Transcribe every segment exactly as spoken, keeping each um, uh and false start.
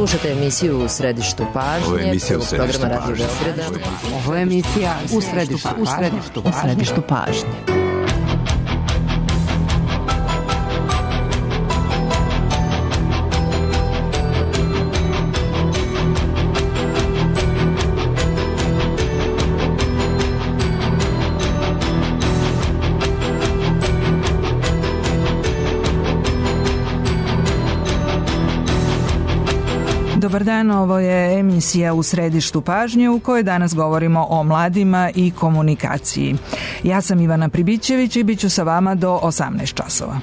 Slušate emisiju U središtu pažnje. Ovo je emisija U središtu programa Radio pažnje. Beograda. Ovo je emisija U središtu, u središtu, u središtu pažnje. Dobar dan, ovo je emisija U središtu pažnje u kojoj danas govorimo o mladima i komunikaciji. Ja sam Ivana Pribićević i bit ću sa vama do osamnaest časova.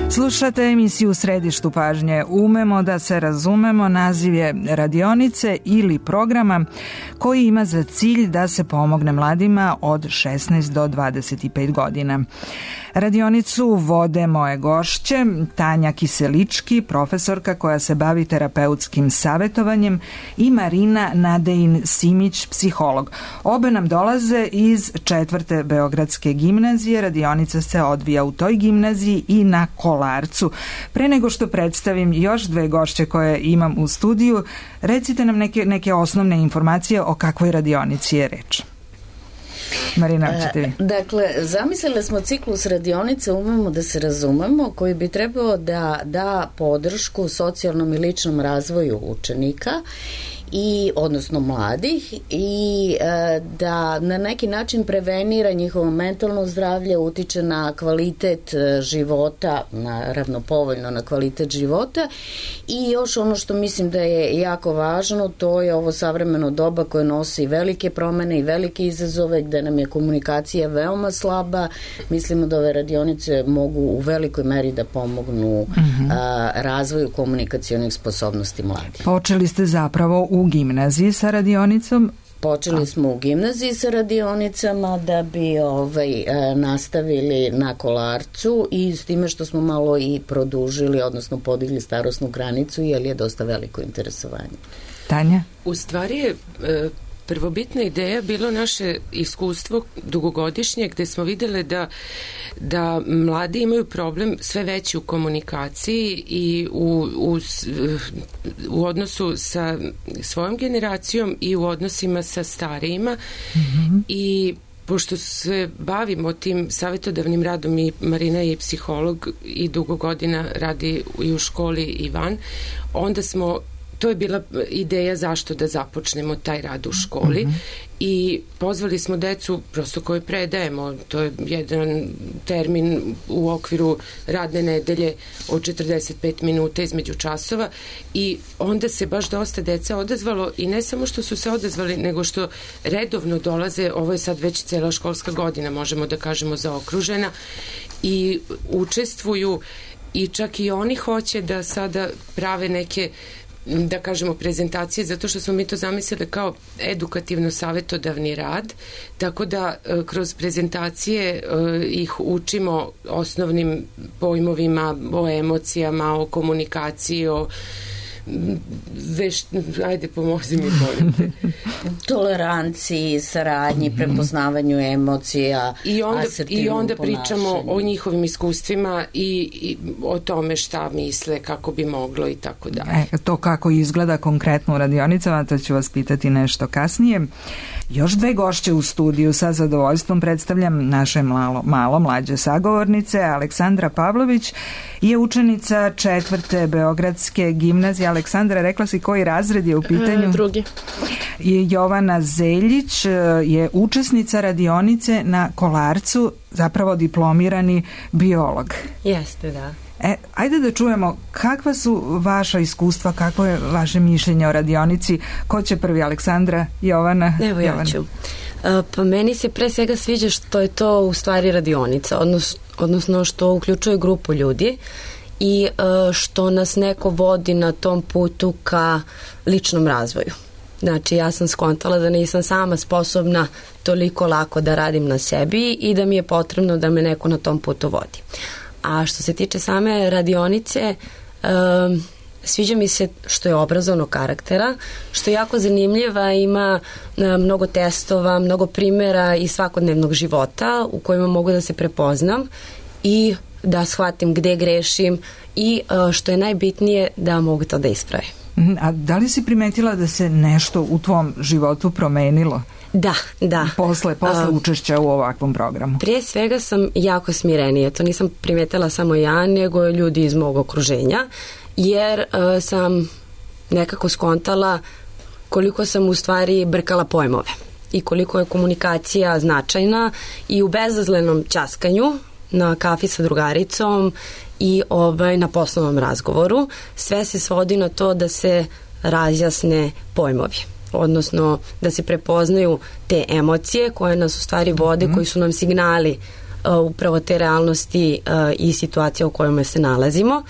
Slušate emisiju U središtu pažnje. Umemo da se razumemo, naziv je radionice ili programa koji ima za cilj da se pomogne mladima od šesnaest do dvadeset pet godina. Radionicu vode moje gošće, Tanja Kiselički, profesorka koja se bavi terapeutskim savjetovanjem, i Marina Nadejin-Simić, psiholog. Obe nam dolaze iz četvrte Beogradske gimnazije. Radionica se odvija u toj gimnaziji i na Kolarcu. Pre nego što predstavim još dve gošće koje imam u studiju, recite nam neke, neke osnovne informacije o kakvoj radionici je reč. Marina, ćete vi. Dakle, zamislili smo ciklus radionice Umemo da se razumemo, koji bi trebao da da podršku socijalnom i ličnom razvoju učenika i odnosno mladih i e, da na neki način prevenira njihovo mentalno zdravlje, utiče na kvalitet života, naravno povoljno na kvalitet života. I još ono što mislim da je jako važno, to je ovo savremeno doba koje nosi velike promene i velike izazove, gde nam je komunikacija veoma slaba. Mislimo da ove radionice mogu u velikoj meri da pomognu mm-hmm. a, razvoju komunikacionih sposobnosti mladih. Počeli ste zapravo u gimnaziji sa radionicom? Počeli smo u gimnaziji sa radionicama da bi ovaj, nastavili na Kolarcu, i s time što smo malo i produžili, odnosno podigli starosnu granicu, jer je dosta veliko interesovanje. Tanja? U stvari je prvobitna ideja bilo naše iskustvo dugogodišnje, gde smo vidjeli da, da mladi imaju problem sve veći u komunikaciji i u, u, u odnosu sa svojom generacijom i u odnosima sa starijima. Mm-hmm. I pošto se bavimo tim savjetodavnim radom, i Marina je psiholog i dugo godina radi i u školi i van, onda smo to je bila ideja zašto da započnemo taj rad u školi. Mm-hmm. I pozvali smo decu prosto koje predajemo, to je jedan termin u okviru radne nedelje od četrdeset pet minuta između časova, i onda se baš dosta deca odazvalo, i ne samo što su se odazvali, nego što redovno dolaze. Ovo je sad već cela školska godina, možemo da kažemo, zaokružena, i učestvuju, i čak i oni hoće da sada prave neke, da kažemo, prezentacije, zato što smo mi to zamislili kao edukativno-savjetodavni rad, tako da kroz prezentacije ih učimo osnovnim pojmovima, o emocijama, o komunikaciji, o Veš, ajde pomozi mi, molim te. Toleranciji, saradnji, mm-hmm. prepoznavanju emocija, i onda, asertivnom i onda pričamo ponašanju. O njihovim iskustvima i, i o tome šta misle, kako bi moglo i tako dalje. E, to kako izgleda konkretno u radionicama, to ću vas pitati nešto kasnije. Još dve gošće u studiju. Sa zadovoljstvom predstavljam naše malo, malo mlađe sagovornice. Aleksandra Pavlović je učenica četvrte Beogradske gimnazije. Aleksandra, rekla si koji razred je u pitanju? E, drugi. Jovana Zeljić je učesnica radionice na Kolarcu, zapravo diplomirani biolog. Jeste, da. E, ajde da čujemo kakva su vaša iskustva, kakvo je vaše mišljenje o radionici. Ko će prvi, Aleksandra, Jovana? Evo ja Jovana. ću. Pa meni se pre svega sviđa što je to u stvari radionica, odnos, odnosno što uključuje grupu ljudi i što nas neko vodi na tom putu ka ličnom razvoju. Znači, ja sam skontala da nisam sama sposobna toliko lako da radim na sebi i da mi je potrebno da me neko na tom putu vodi. A što se tiče same radionice, um, sviđa mi se što je obrazovnog karaktera, što je jako zanimljiva, ima um, mnogo testova, mnogo primjera iz svakodnevnog života u kojima mogu da se prepoznam i da shvatim gde grešim i uh, što je najbitnije da mogu to da ispravim. A da li si primetila da se nešto u tvom životu promenilo? Da, da. Posle, posle um, učešća u ovakvom programu. Prije svega sam jako smirenija. To nisam primetila samo ja, nego ljudi iz mog okruženja, jer uh, sam nekako skontala koliko sam u stvari brkala pojmove i koliko je komunikacija značajna i u bezazlenom ćaskanju na kafi sa drugaricom i ovaj, na poslovnom razgovoru. Sve se svodi na to da se razjasne pojmovi, odnosno da se prepoznaju te emocije koje nas u stvari vode, mm-hmm. koji su nam signali uh, upravo te realnosti uh, i situacije u kojima se nalazimo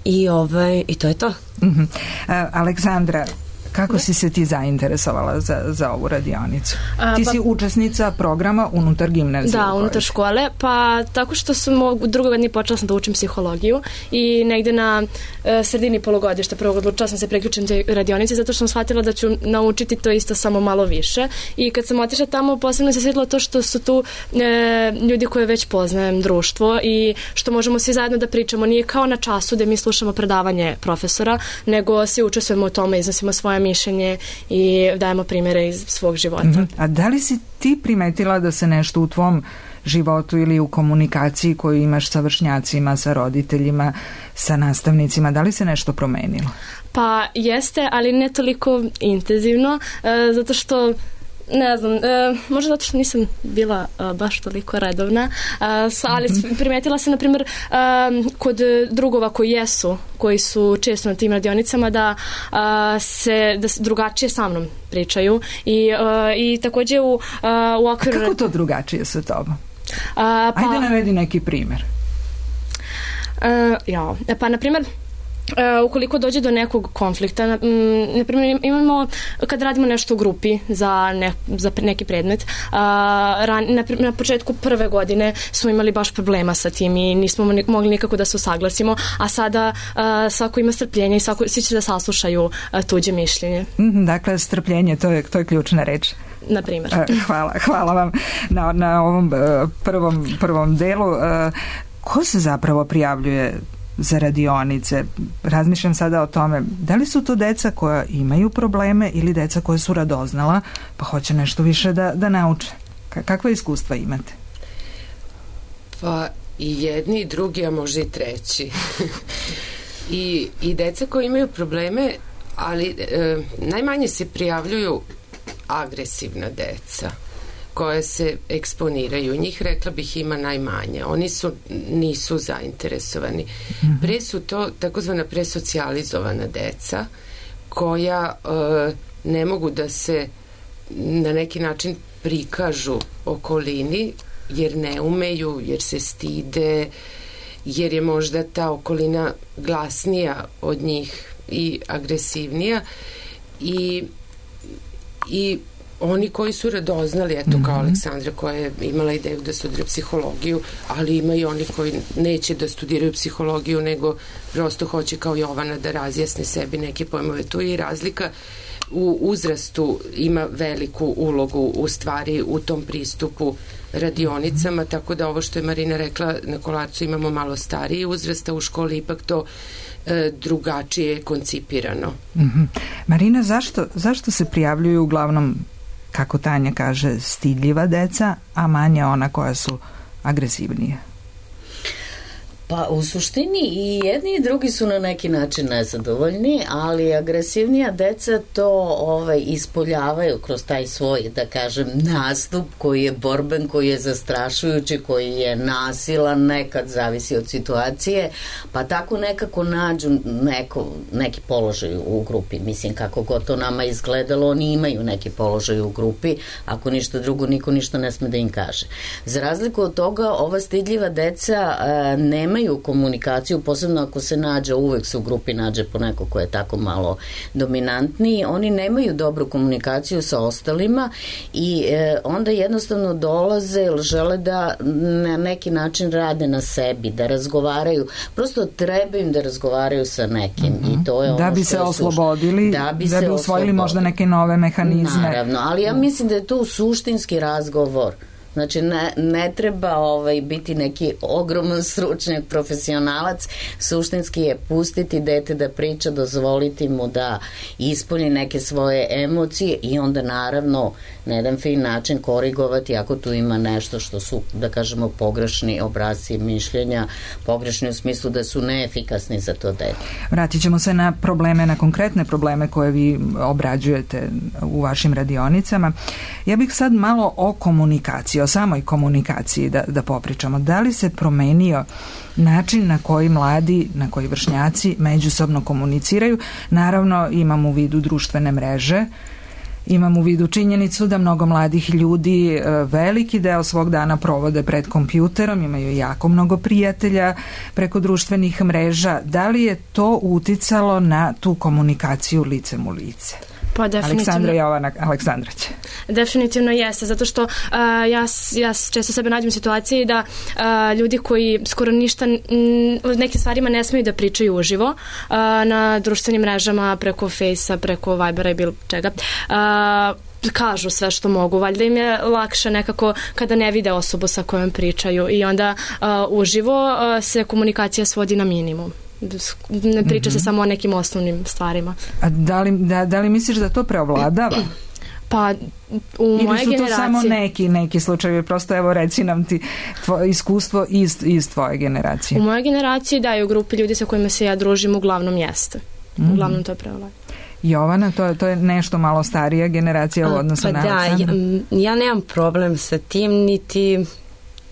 i, ovaj, i to je to. Mm-hmm. Uh, Aleksandra, kako si se ti zainteresovala za, za ovu radionicu? A, ti pa, si učesnica programa unutar gimnazije. Da, unutar škole, pa tako što sam u drugoj godini počela sam da učim psihologiju i negde na e, sredini polugodišta prvog odlučila sam se priključiti toj radionici zato što sam shvatila da ću naučiti to isto samo malo više i kad sam otišla tamo posebno se svidjelo to što su tu e, ljudi koje već poznajem, društvo i što možemo svi zajedno da pričamo. Nije kao na času gde mi slušamo predavanje profesora, nego svi učestvujemo u tome, iznosimo svoje mišljenje i dajemo primjere iz svog života. Mm-hmm. A da li si ti primetila da se nešto u tvom životu ili u komunikaciji koju imaš sa vršnjacima, sa roditeljima, sa nastavnicima, da li se nešto promenilo? Pa jeste, ali ne toliko intenzivno, e, zato što ne znam, e, možda zato što nisam bila e, baš toliko redovna, e, ali primetila sam, na primjer, e, kod drugova koji jesu, koji su često na tim radionicama, da, e, se, da se drugačije sa mnom pričaju i, e, i također u, e, u okviru... A kako to drugačije sa tobom? A, pa, Ajde navedi neki primjer. E, ja, pa na primjer, Uh, ukoliko dođe do nekog konflikta, na, m, na primjer imamo kad radimo nešto u grupi za, ne, za neki predmet, uh, ran, na, na početku prve godine smo imali baš problema sa tim i nismo mogli nikako da se usaglasimo, a sada uh, svako ima strpljenje i svako, svi će da saslušaju uh, tuđe mišljenje. Mm, dakle, strpljenje, to je, to je ključna reč. Na primjer. Uh, hvala, hvala vam na, na ovom uh, prvom, prvom delu. Uh, ko se zapravo prijavljuje za radionice? Razmišljam sada o tome, da li su to deca koja imaju probleme ili deca koja su radoznala pa hoće nešto više da, da nauče? Kakva iskustva imate? Pa i jedni i drugi, a može i treći. I, i deca koja imaju probleme, ali e, najmanje se prijavljuju agresivna deca koje se eksponiraju. Njih, rekla bih, ima najmanje. Oni su, nisu zainteresovani. Mm-hmm. Pre su to takozvana presocijalizovana deca koja e, ne mogu da se na neki način prikažu okolini jer ne umeju, jer se stide, jer je možda ta okolina glasnija od njih i agresivnija i i oni koji su radoznali, eto mm-hmm. kao Aleksandra koja je imala ideju da studira psihologiju, ali ima i oni koji neće da studiraju psihologiju, nego prosto hoće kao Jovana da razjasne sebi neke pojmove. Tu je i razlika u uzrastu, ima veliku ulogu u stvari u tom pristupu radionicama, tako da ovo što je Marina rekla, na Kolarcu imamo malo stariji uzrasta, u školi ipak to e, drugačije koncipirano. Mm-hmm. Marina, zašto, zašto se prijavljuju uglavnom, kako Tanja kaže, stidljiva deca, a manje ona koja su agresivnija? Pa u suštini i jedni i drugi su na neki način nezadovoljni, ali agresivnija deca to ovaj, ispoljavaju kroz taj svoj, da kažem, nastup koji je borben, koji je zastrašujući, koji je nasilan, nekad zavisi od situacije, pa tako nekako nađu neko, neki položaj u grupi. Mislim, kako god to nama izgledalo, oni imaju neki položaj u grupi, ako ništa drugo, niko ništa ne sme da im kaže. Za razliku od toga, ova stidljiva deca a, nemaju komunikaciju, posebno ako se nađe, uvek se u grupi nađe po neko ko je tako malo dominantniji, oni nemaju dobru komunikaciju sa ostalima i e, onda jednostavno dolaze ili žele da na neki način rade na sebi, da razgovaraju, prosto treba im da razgovaraju sa nekim mm-hmm. i to je ono da bi se oslobodili, da bi, da bi usvojili možda neke nove mehanizme. Naravno, ali ja mislim da je to suštinski razgovor. Znači, ne, ne treba ovaj, biti neki ogroman stručnjak, profesionalac, suštinski je pustiti dete da priča, dozvoliti mu da ispolji neke svoje emocije i onda naravno na jedan fin način korigovati ako tu ima nešto što su, da kažemo, pogrešni obrasci mišljenja, pogrešni u smislu da su neefikasni za to dete. Vratit ćemo se na probleme, na konkretne probleme koje vi obrađujete u vašim radionicama. Ja bih sad malo o komunikaciji, o samoj komunikaciji da, da popričamo. Da li se promenio način na koji mladi, na koji vršnjaci međusobno komuniciraju? Naravno, imam u vidu društvene mreže, imam u vidu činjenicu da mnogo mladih ljudi veliki deo svog dana provode pred kompjuterom, imaju jako mnogo prijatelja preko društvenih mreža. Da li je to uticalo na tu komunikaciju licem u lice? Pa definitivno. Aleksandra Jovana Aleksandrović. Definitivno jeste, zato što uh, ja, ja često sebe nađem u situaciji da uh, ljudi koji skoro ništa o nekim stvarima ne smeju da pričaju uživo uh, na društvenim mrežama, preko Fejsa, preko Vibera i bilo čega, uh, kažu sve što mogu. Valjda im je lakše nekako kada ne vide osobu sa kojom pričaju i onda uh, uživo uh, se komunikacija svodi na minimum. Ne priča mm-hmm. se samo o nekim osnovnim stvarima. A da li, da, da li misliš da to preovladava? Pa u moje generacije... Ili su to samo neki, neki slučajevi? Prosto evo reci nam ti tvoje iskustvo iz, iz tvoje generacije. U moje generaciji da, i u grupi ljudi sa kojima se ja družim uglavnom jeste. Mm-hmm. Uglavnom to je preovladava. Jovana, to je, to je nešto malo starija generacija u odnosu pa na da, Aleksandra? Ja, ja nemam problem sa tim, niti...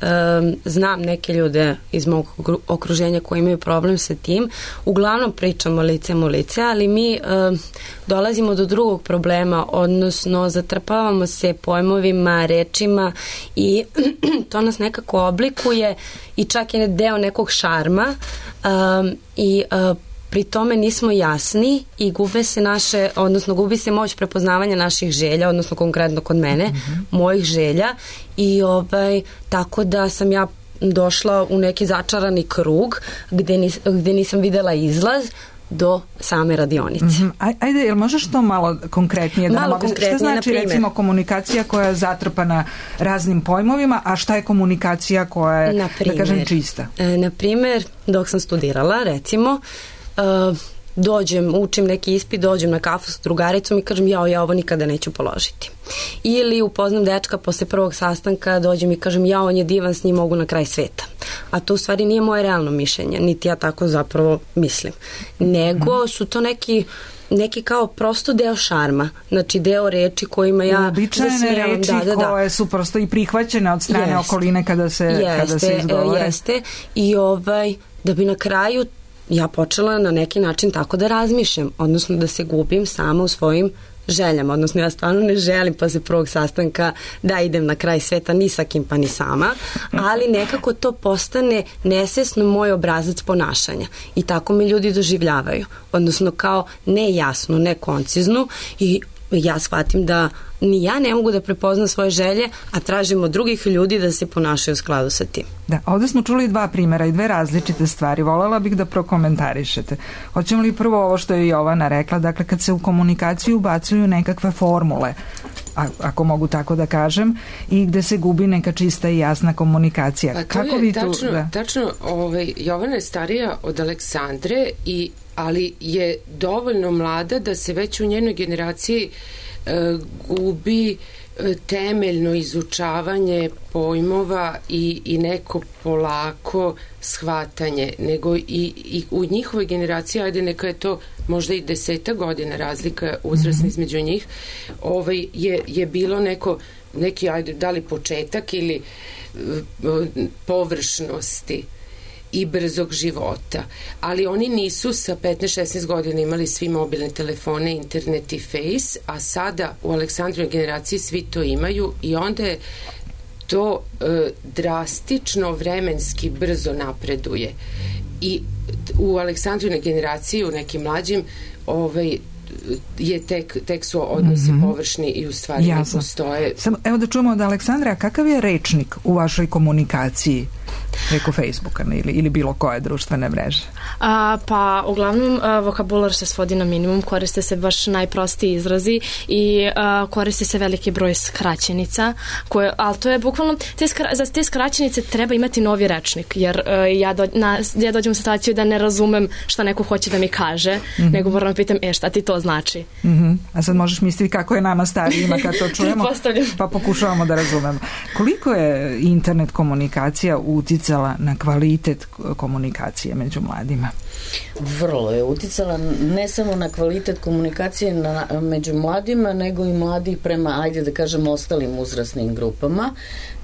Um, znam neke ljude iz mog okruženja koji imaju problem sa tim. Uglavnom pričamo licem u lice, ali mi um, dolazimo do drugog problema, odnosno zatrpavamo se pojmovima, rečima i to nas nekako oblikuje i čak je deo nekog šarma um, i uh, pri tome nismo jasni i gube se naše, odnosno gubi se moć prepoznavanja naših želja, odnosno konkretno kod mene, mm-hmm. mojih želja i ovaj, tako da sam ja došla u neki začarani krug gde, nis, gde nisam videla izlaz do same radionice. Mm-hmm. Ajde, jel možeš to malo konkretnije? Malo da konkretnije, šta znači recimo komunikacija koja je zatrpana raznim pojmovima, a šta je komunikacija koja je, naprimer, da kažem, čista? E, na primer, dok sam studirala, recimo, Uh, dođem, učim neki ispit, dođem na kafu s drugaricom i kažem jao, ja ovo nikada neću položiti. Ili upoznam dečka posle prvog sastanka, dođem i kažem jao, on je divan, s njim mogu na kraj sveta. A to u stvari nije moje realno mišljenje, niti ja tako zapravo mislim. Nego su to neki neki kao prosto deo šarma, znači deo reči kojima ja uobičajene reči da, da, da. koje su prosto i prihvaćene od strane jeste. Okoline kada se, jeste, kada se izgovore. Jeste, i ovaj, da bi na kraju ja počela na neki način tako da razmišljam, odnosno da se gubim sama u svojim željama, odnosno ja stvarno ne želim posle prvog sastanka da idem na kraj sveta ni sa kim pa ni sama, ali nekako to postane nesvesno moj obrazac ponašanja i tako me ljudi doživljavaju, odnosno kao nejasnu, nekonciznu i ja shvatim da ni ja ne mogu da prepoznam svoje želje, a tražim od drugih ljudi da se ponašaju u skladu sa tim. Da, ovde smo čuli dva primjera i dve različite stvari. Volela bih da prokomentarišete. Hoćemo li prvo ovo što je Jovana rekla, dakle kad se u komunikaciju ubacuju nekakve formule, a, ako mogu tako da kažem, i gde se gubi neka čista i jasna komunikacija. Pa to Kako je vi tu, tačno, da? tačno ovaj, Jovana je starija od Aleksandre, i, ali je dovoljno mlada da se već u njenoj generaciji e, gubi temeljno izučavanje pojmova i, i neko polako shvatanje, nego i, i u njihovoj generaciji, ajde neka je to možda i deseta godina razlika uzrasna mm-hmm. između njih, ovaj, je, je bilo neko, neki, ajde, da li početak ili uh, površnosti i brzog života, ali oni nisu sa petnaest šesnaest godina imali svi mobilne telefone, internet i face, a sada u Aleksandrovoj generaciji svi to imaju i onda je to e, drastično vremenski brzo napreduje i u Aleksandrovoj generaciji, u nekim mlađim, ovaj, je tek, tek su odnosi mm-hmm. površni i u stvari ne postoje. Samo, evo da čujemo od Aleksandra, kakav je rečnik u vašoj komunikaciji preko Facebooka ili, ili bilo koje društvene mreže? A, pa uglavnom a, vokabular se svodi na minimum, koriste se baš najprostiji izrazi i a, koriste se veliki broj skraćenica, koje, ali to je bukvalno, te skra, za te skraćenice treba imati novi rečnik, jer a, ja, do, na, ja dođem u situaciju da ne razumem šta neko hoće da mi kaže, mm-hmm. nego moram pitam, e šta ti to znači? Mm-hmm. A sad možeš misliti kako je nama starijima kad to čujemo, pa pokušavamo da razumemo. Koliko je internet komunikacija uticala na kvalitet komunikacije među mladima? Vrlo je uticala ne samo na kvalitet komunikacije na, među mladima, nego i mladih prema, ajde da kažem, ostalim uzrasnim grupama.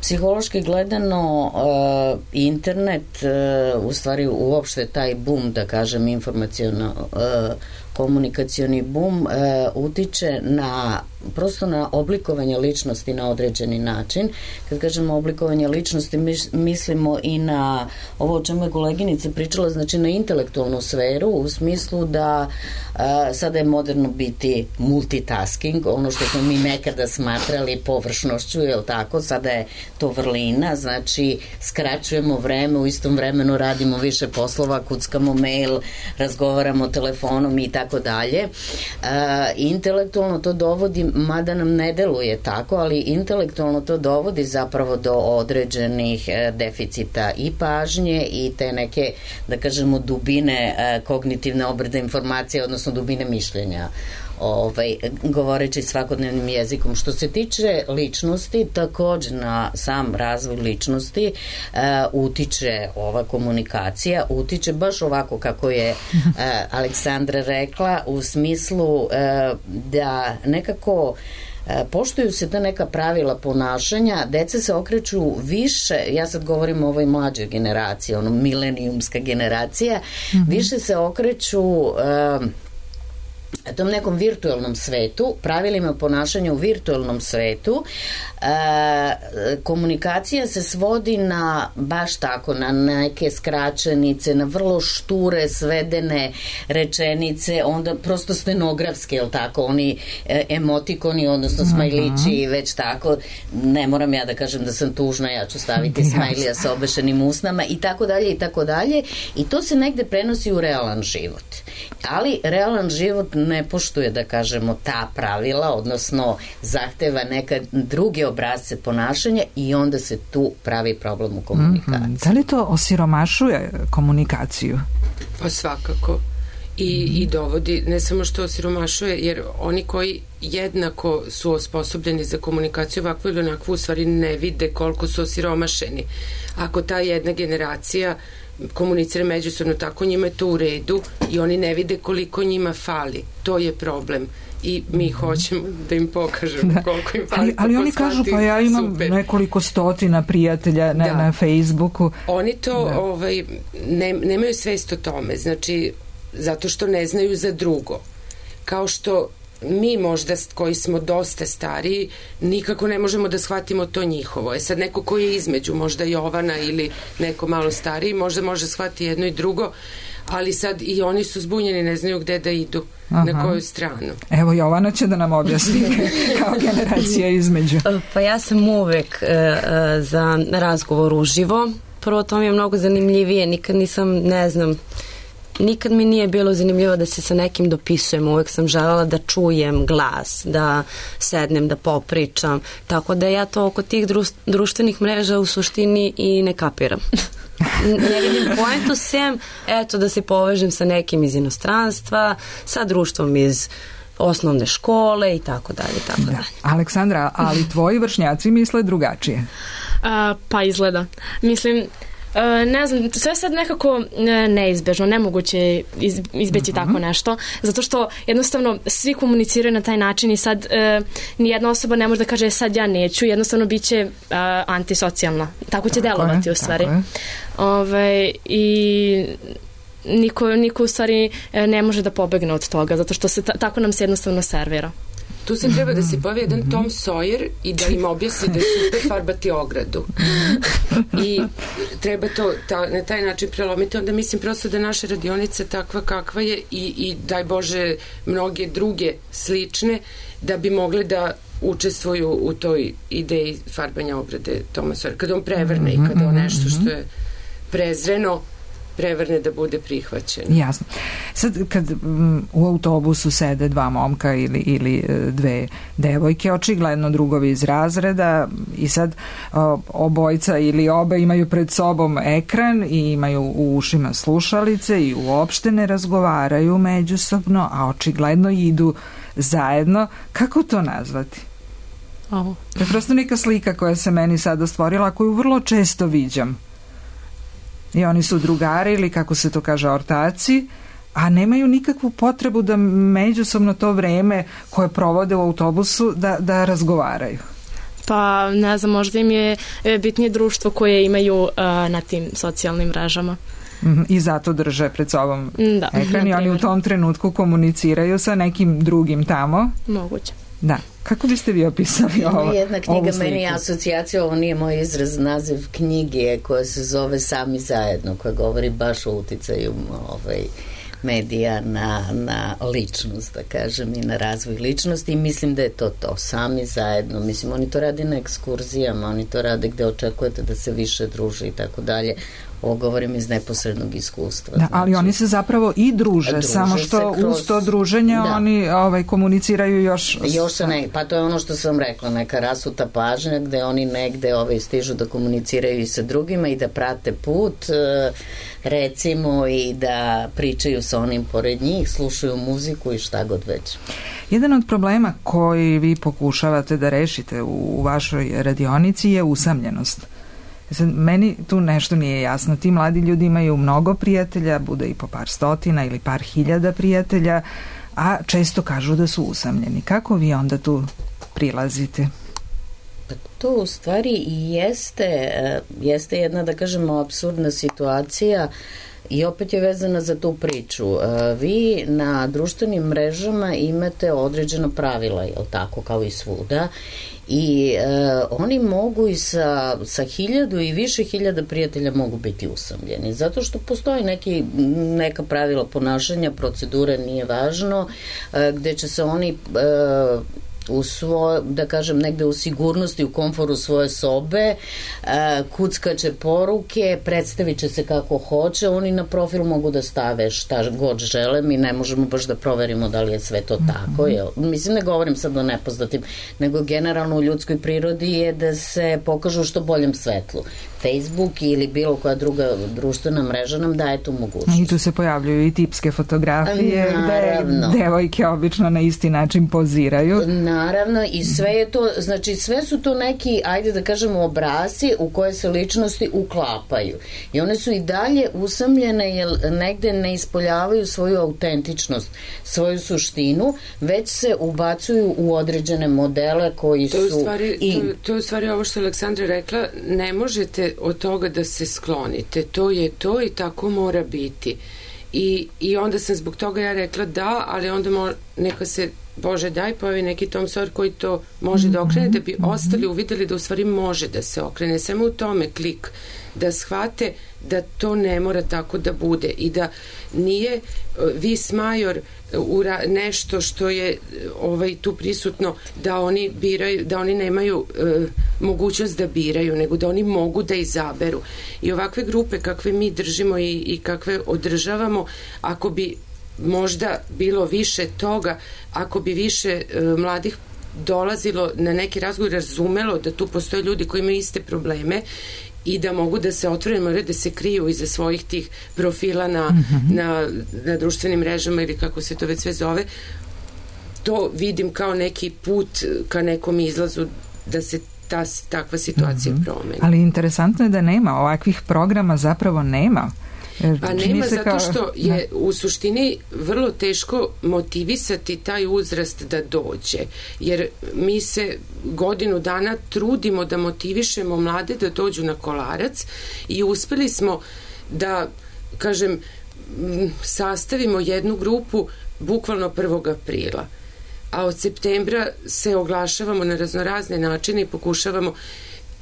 Psihološki gledano uh, internet, uh, u stvari uopšte taj boom, da kažem, informaciono uh, komunikacioni boom uh, utiče na prosto na oblikovanje ličnosti na određeni način. Kad kažemo oblikovanje ličnosti, mislimo i na ovo o čemu je koleginica pričala, znači na intelektualnu sferu, u smislu da a, sada je moderno biti multitasking, ono što smo mi nekada smatrali površnošću, je li tako, sada je to vrlina, znači skraćujemo vreme, u istom vremenu radimo više poslova, kuckamo mail, razgovaramo telefonom i tako dalje. Intelektualno to dovodi, mada nam ne deluje tako, ali intelektualno to dovodi zapravo do određenih deficita i pažnje i te neke, da kažemo, dubine kognitivne obrade informacije, odnosno dubine mišljenja, ovaj, govoreći svakodnevnim jezikom. Što se tiče ličnosti, takođe na sam razvoj ličnosti uh, utiče ova komunikacija, utiče baš ovako kako je uh, Aleksandra rekla, u smislu uh, da nekako poštuju se ta neka pravila ponašanja, deca se okreću više, ja sad govorim o ovoj mlađoj generaciji, ono milenijumska generacija, mm-hmm. više se okreću uh, tom nekom virtualnom svetu, pravilima ponašanja u virtualnom svetu. E, komunikacija se svodi na baš tako, na neke skraćenice, na vrlo šture, svedene rečenice, onda prosto stenografske, jel tako, oni e, emotikoni, odnosno smajlići, već tako, ne moram ja da kažem da sam tužna, ja ću staviti smajlija sa obešenim usnama i tako dalje i tako dalje, i to se negde prenosi u realan život. Ali realan život ne poštuje, da kažemo, ta pravila, odnosno zahteva neka druge obrazce ponašanja i onda se tu pravi problem u komunikaciji. Mm-hmm. Da li to osiromašuje komunikaciju? Pa svakako. I, mm-hmm. i dovodi, ne samo što osiromašuje, jer oni koji jednako su osposobljeni za komunikaciju ovakvu ili onakvu, u stvari ne vide koliko su osiromašeni. Ako ta jedna generacija komunicira međusobno tako, njima je to u redu i oni ne vide koliko njima fali. To je problem. I mi hoćemo da im pokažemo da. koliko im fali. Ali, ali oni kažu, pa ja imam super. nekoliko stotina prijatelja na, na Facebooku. Oni to da. ovaj, ne, nemaju svest o tome. Znači, zato što ne znaju za drugo. Kao što mi možda koji smo dosta stariji nikako ne možemo da shvatimo to njihovo. E sad neko koji je između, možda Jovana ili neko malo stariji, možda može shvatiti jedno i drugo, ali sad i oni su zbunjeni, ne znaju gde da idu. Aha. Na koju stranu. Evo, Jovana će da nam objasni kao generacija između. Pa ja sam uvek uh, za razgovor uživo. Prvo, to mi je mnogo zanimljivije. Nikad nisam, ne znam, nikad mi nije bilo zanimljivo da se sa nekim dopisujem, uvek sam želela da čujem glas, da sednem, da popričam, tako da ja to oko tih društvenih mreža u suštini i ne kapiram. Ne vidim poentu sem, eto, da se povežem sa nekim iz inostranstva, sa društvom iz osnovne škole i tako dalje, tako da. dalje. Aleksandra, ali tvoji vršnjaci misle drugačije. A, pa izgleda. Mislim, Uh, ne znam, sve sad nekako neizbežno, nemoguće je iz, izbeći uh-huh. tako nešto, zato što jednostavno svi komuniciraju na taj način i sad uh, nijedna osoba ne može da kaže sad ja neću, jednostavno bit će uh, antisocijalna. Tako će tako delovati je, u stvari. Ove, i niko, niko u stvari ne može da pobegne od toga, zato što se ta, tako nam se jednostavno servira. Tu se treba da se pojavi jedan Tom Sawyer i da im objasni da je super farbati ogradu. I treba to ta, na taj način prelomiti. Onda mislim prosto da naša radionica takva kakva je i, i daj Bože mnoge druge slične da bi mogle da učestvuju u toj ideji farbanja ograde Toma Sawyera. Kad on prevrne i kada on nešto što je prezreno prevrne da bude prihvaćeno. Jasno. Sad kad m, u autobusu sede dva momka ili, ili dve devojke, očigledno drugovi iz razreda i sad o, obojca ili obe imaju pred sobom ekran i imaju u ušima slušalice i uopšte ne razgovaraju međusobno, a očigledno idu zajedno. Kako to nazvati? Ovo. To je prosto neka slika koja se meni sada stvorila, koju vrlo često viđam. I oni su drugari ili kako se to kaže ortaci, a nemaju nikakvu potrebu da međusobno to vreme koje provode u autobusu da, da razgovaraju. Pa ne znam, možda im je bitnije društvo koje imaju uh, na tim socijalnim mrežama. Mm-hmm. I zato drže pred sobom da, ekran i oni u tom trenutku komuniciraju sa nekim drugim tamo. Moguće. Da. Kako biste vi opisali ovo? Jedna knjiga meni je asocijacija, ovo nije moj izraz, naziv knjige koja se zove Sami zajedno, koja govori baš o uticaju ovaj, medija na, na ličnost, da kažem, i na razvoj ličnosti i mislim da je to to, sami zajedno. Mislim, oni to rade na ekskurzijama, oni to rade gde očekujete da se više druže i tako dalje. Ovo govorim iz neposrednog iskustva. Da, znači, ali oni se zapravo i druže, druže samo što kroz, uz to druženje da. oni ovaj, komuniciraju još... Još se ne, pa to je ono što sam rekla, neka rasuta pažnja gde oni negde ovaj, stižu da komuniciraju i sa drugima i da prate put, recimo, i da pričaju sa onim pored njih, slušaju muziku i šta god već. Jedan od problema koji vi pokušavate da rešite u, u vašoj radionici je usamljenost. Sad, meni tu nešto nije jasno. Ti mladi ljudi imaju mnogo prijatelja, bude i po par stotina ili par hiljada prijatelja, a često kažu da su usamljeni. Kako vi onda tu prilazite? Pa to u stvari i jeste, jeste jedna, da kažemo, apsurdna situacija i opet je vezana za tu priču. Vi na društvenim mrežama imate određena pravila, jel tako, kao i svuda, i e, oni mogu i sa, sa hiljadu i više hiljada prijatelja mogu biti usamljeni, zato što postoji neki, neka pravila ponašanja, procedure, nije važno, e, gde će se oni e, u svoj, da kažem, negde u sigurnosti, u komforu svoje sobe, kuckaće poruke, predstavit će se kako hoće, oni na profil mogu da stave šta god žele, mi ne možemo baš da proverimo da li je sve to tako, jel? Mislim, ne govorim sad o nepoznatim, nego generalno u ljudskoj prirodi je da se pokažu u što boljem svetlu. Facebook ili bilo koja druga društvena mreža nam daje tu mogućnost. I tu se pojavljuju i tipske fotografije, naravno, gde devojke obično na isti način poziraju. Naravno, i sve je to, znači sve su to neki, ajde da kažemo, obrasci u koje se ličnosti uklapaju. I one su i dalje usamljene jer negde ne ispoljavaju svoju autentičnost, svoju suštinu, već se ubacuju u određene modele koji to je su... Stvari, i... to, to je u stvari ovo što je Aleksandra rekla, ne možete od toga da se sklonite. To je to i tako mora biti. I, i onda sam zbog toga ja rekla da, ali onda mo, neka se, Bože daj, pojavi neki Tom Sawyer koji to može da okrene, da bi ostali uvideli da u stvari može da se okrene. Samo u tome klik, da shvate da to ne mora tako da bude i da nije vis major nešto što je ovaj tu prisutno da oni biraju, da oni nemaju e, mogućnost da biraju, nego da oni mogu da izaberu. I ovakve grupe kakve mi držimo i, i kakve održavamo, ako bi možda bilo više toga, ako bi više e, mladih dolazilo na neki razgovor, razumelo da tu postoje ljudi koji imaju iste probleme i da mogu da se otvore, moraju da se kriju iza svojih tih profila na, mm-hmm. na, na društvenim mrežama ili kako se to već sve zove, to vidim kao neki put ka nekom izlazu da se ta, takva situacija mm-hmm. promeni. Ali interesantno je da nema ovakvih programa, zapravo nema. Pa nema, zato kao... što je da. U suštini vrlo teško motivisati taj uzrast da dođe, jer mi se godinu dana trudimo da motivišemo mlade da dođu na Kolarac i uspeli smo da, kažem, sastavimo jednu grupu bukvalno prvog aprila, a od septembra se oglašavamo na raznorazne načine i pokušavamo.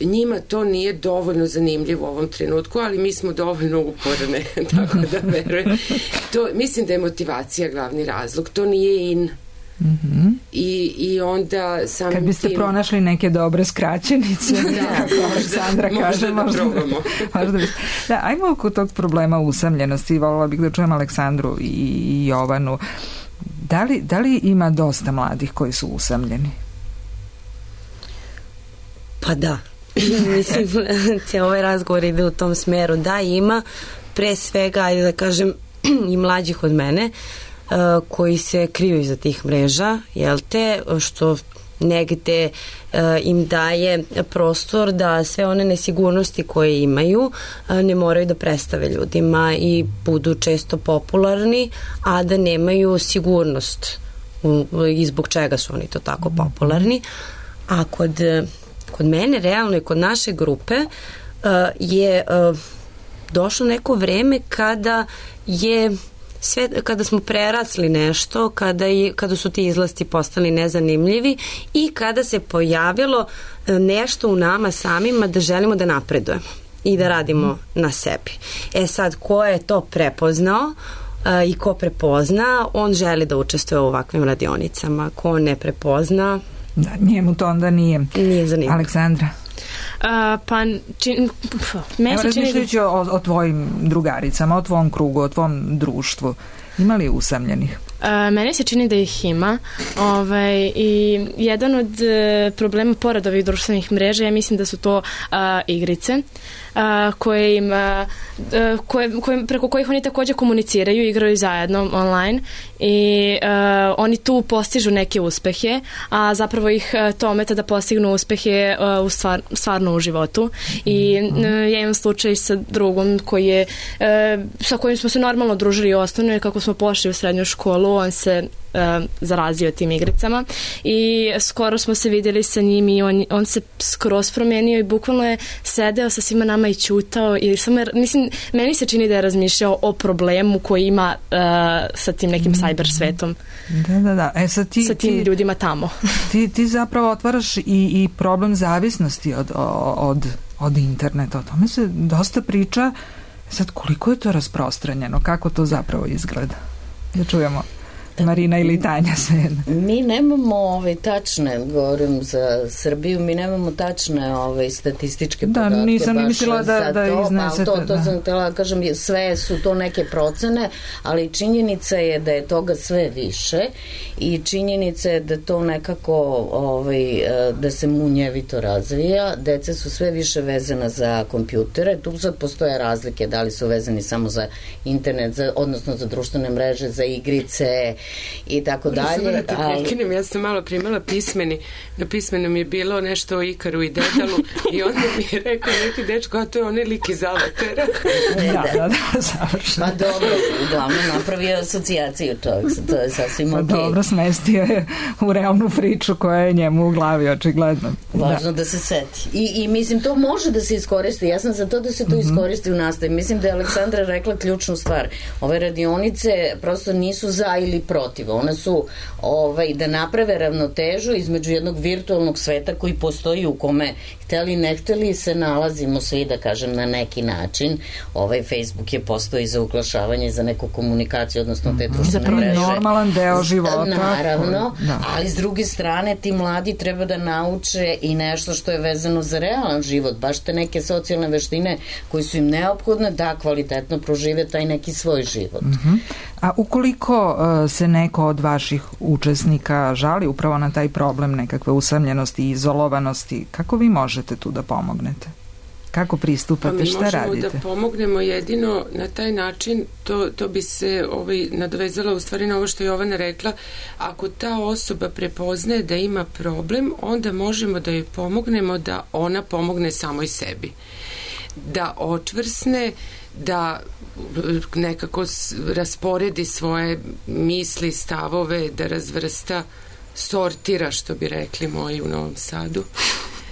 Njima to nije dovoljno zanimljivo u ovom trenutku, ali mi smo dovoljno uporne, tako da verujem. To, mislim da je motivacija glavni razlog. To nije in. Mm-hmm. I, i onda samim kad biste tim... pronašli neke dobre skraćenice da, Aleksandra možda, kaže, možda da probamo možda biste... da, ajmo oko tog problema usamljenosti. Voljela bih da čujem Aleksandru i Jovanu. Da li, da li ima dosta mladih koji su usamljeni? Pa da. Mislim, cijel ovaj razgovor ide u tom smeru. Da, ima pre svega, ajde da kažem, i mlađih od mene uh, koji se kriju iza tih mreža, jel te, što negde uh, im daje prostor da sve one nesigurnosti koje imaju uh, ne moraju da predstave ljudima i budu često popularni, a da nemaju sigurnost u, i zbog čega su oni to tako popularni. A kod kod mene, realno i kod naše grupe uh, je uh, došlo neko vreme kada je sve, kada smo prerasli nešto, kada, je, kada su ti izlasti postali nezanimljivi i kada se pojavilo uh, nešto u nama samima da želimo da napredujemo i da radimo na sebi. E sad, ko je to prepoznao uh, i ko prepozna, on želi da učestvuje u ovakvim radionicama. Ko ne prepozna, da, njemu to onda nije. Nije zanimljivo. Aleksandra? Uh, pa čin, meni se čini... Razmišljajući o, o tvojim drugaricama, o tvom krugu, o tvom društvu, ima li usamljenih? Uh, meni se čini da ih ima. Ovaj, i jedan od uh, problema pored ovih društvenih mreža, ja mislim da su to uh, igrice uh, koje im, uh, koje, koje, preko kojih oni takođe komuniciraju, igraju zajedno online i uh, oni tu postižu neke uspehe, a zapravo ih uh, to ometa da postignu uspehe uh, u stvar, stvarno u životu. I uh, ja imam slučaj sa drugom koji je, uh, sa kojim smo se normalno družili osnovno, kako smo pošli u srednju školu, on se uh, zarazio tim igricama i skoro smo se vidjeli sa njim i on, on se skroz promenio i bukvalno je sedeo sa svima nama i ćutao i samo je, mislim, meni se čini da je razmišljao o problemu koji ima uh, sa tim nekim cyber svetom. Da, da, da. E, sad ti, sa tim ti, ljudima tamo. ti, ti zapravo otvaraš i, i problem zavisnosti od, od, od interneta. O tome se dosta priča. Sad, koliko je to rasprostranjeno? Kako to zapravo izgleda? Da čujemo. Marina ili Tanja, svejedno. Mi nemamo ove tačne, govorim za Srbiju, mi nemamo tačne ove statističke da, podatke. Da, nisam ni mislila da, da to, iznesete. Pa, to, to da. sam htjela, kažem, sve su to neke procene, ali činjenica je da je toga sve više i činjenica je da to nekako ovaj, da se munjevito razvija. Deca su sve više vezana za kompjutere. Tu sad postoje razlike, da li su vezani samo za internet, za, odnosno za društvene mreže, za igrice i tako dalje. Da te prekinem, ja sam malo primala pismeni, na pismenom je bilo nešto o Ikaru i Dedalu i onda mi je rekao neki dečko, a to je onaj lik iz Avatara. Da, da, da, završeno. Pa dobro, uglavnom napravio asocijaciju čovjek, to je sasvim pa ok. Dobro, smestio je u realnu priču koja je njemu u glavi, očigledno. Važno da, da se seti. I, I mislim, to može da se iskoristi. Ja sam za to da se to iskoristi u nastavi. Mislim da je Aleksandra rekla ključnu stvar. Ove radionice prosto nisu za ili protiv. One su ovaj, da naprave ravnotežu između jednog virtualnog sveta koji postoji u kome hteli ne hteli se nalazimo svi, da kažem, na neki način. Ovaj Facebook je postoji za uglašavanje, za neku komunikaciju, odnosno te društvene mreže. Normalan deo života. Naravno, da. Ali s druge strane ti mladi treba da nauče i nešto što je vezano za realan život, baš te neke socijalne veštine koji su im neophodne da kvalitetno prožive taj neki svoj život. Uh-huh. A ukoliko uh, se neko od vaših učesnika žali upravo na taj problem nekakve usamljenosti i izolovanosti, kako vi možete tu da pomognete? Kako pristupate, pa šta radite? Mi možemo da pomognemo jedino na taj način, to, to bi se ovaj, nadovezala u stvari na ovo što je Jovana rekla, ako ta osoba prepoznaje da ima problem, onda možemo da joj pomognemo da ona pomogne samoj sebi. Da očvrsne, da nekako rasporedi svoje misli, stavove, da razvrsta, sortira, što bi rekli moji u Novom Sadu.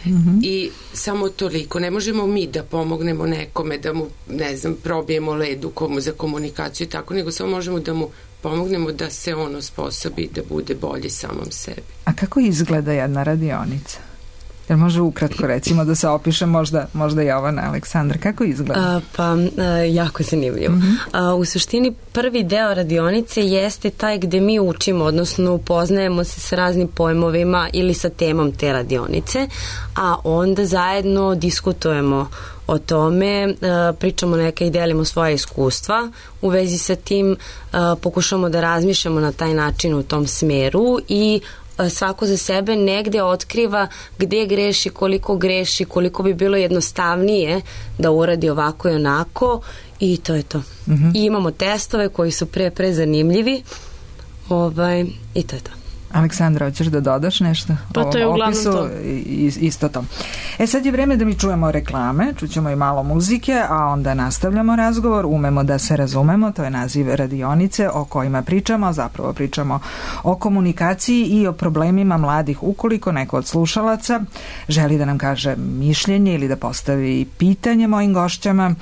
Mm-hmm. I samo toliko. Ne možemo mi da pomognemo nekome, da mu, ne znam, probijemo ledu komu za komunikaciju i tako, nego samo možemo da mu pomognemo da se on osposobi da bude bolji samom sebi. A kako izgleda jedna radionica? Jer može ukratko recimo da se opiše možda, možda Jovana, Aleksandra, kako izgleda? A, pa, a, jako zanimljivo. Mm-hmm. A, u suštini prvi deo radionice jeste taj gde mi učimo, odnosno upoznajemo se sa raznim pojmovima ili sa temom te radionice, a onda zajedno diskutujemo o tome, pričamo neka i delimo svoje iskustva, u vezi sa tim pokušamo da razmišljamo na taj način u tom smeru i svako za sebe negde otkriva gde greši, koliko greši, koliko bi bilo jednostavnije da uradi ovako i onako i to je to. Mm-hmm. I imamo testove koji su pre, pre zanimljivi ovaj, i to je to. Aleksandra, hoćeš da dodaš nešto? Pa to je uglavnom to. Isto to. E sad je vreme da mi čujemo reklame, čućemo i malo muzike, a onda nastavljamo razgovor. Umemo da se razumemo, to je naziv radionice o kojima pričamo, zapravo pričamo o komunikaciji i o problemima mladih. Ukoliko neko od slušalaca želi da nam kaže mišljenje ili da postavi pitanje mojim gošćama,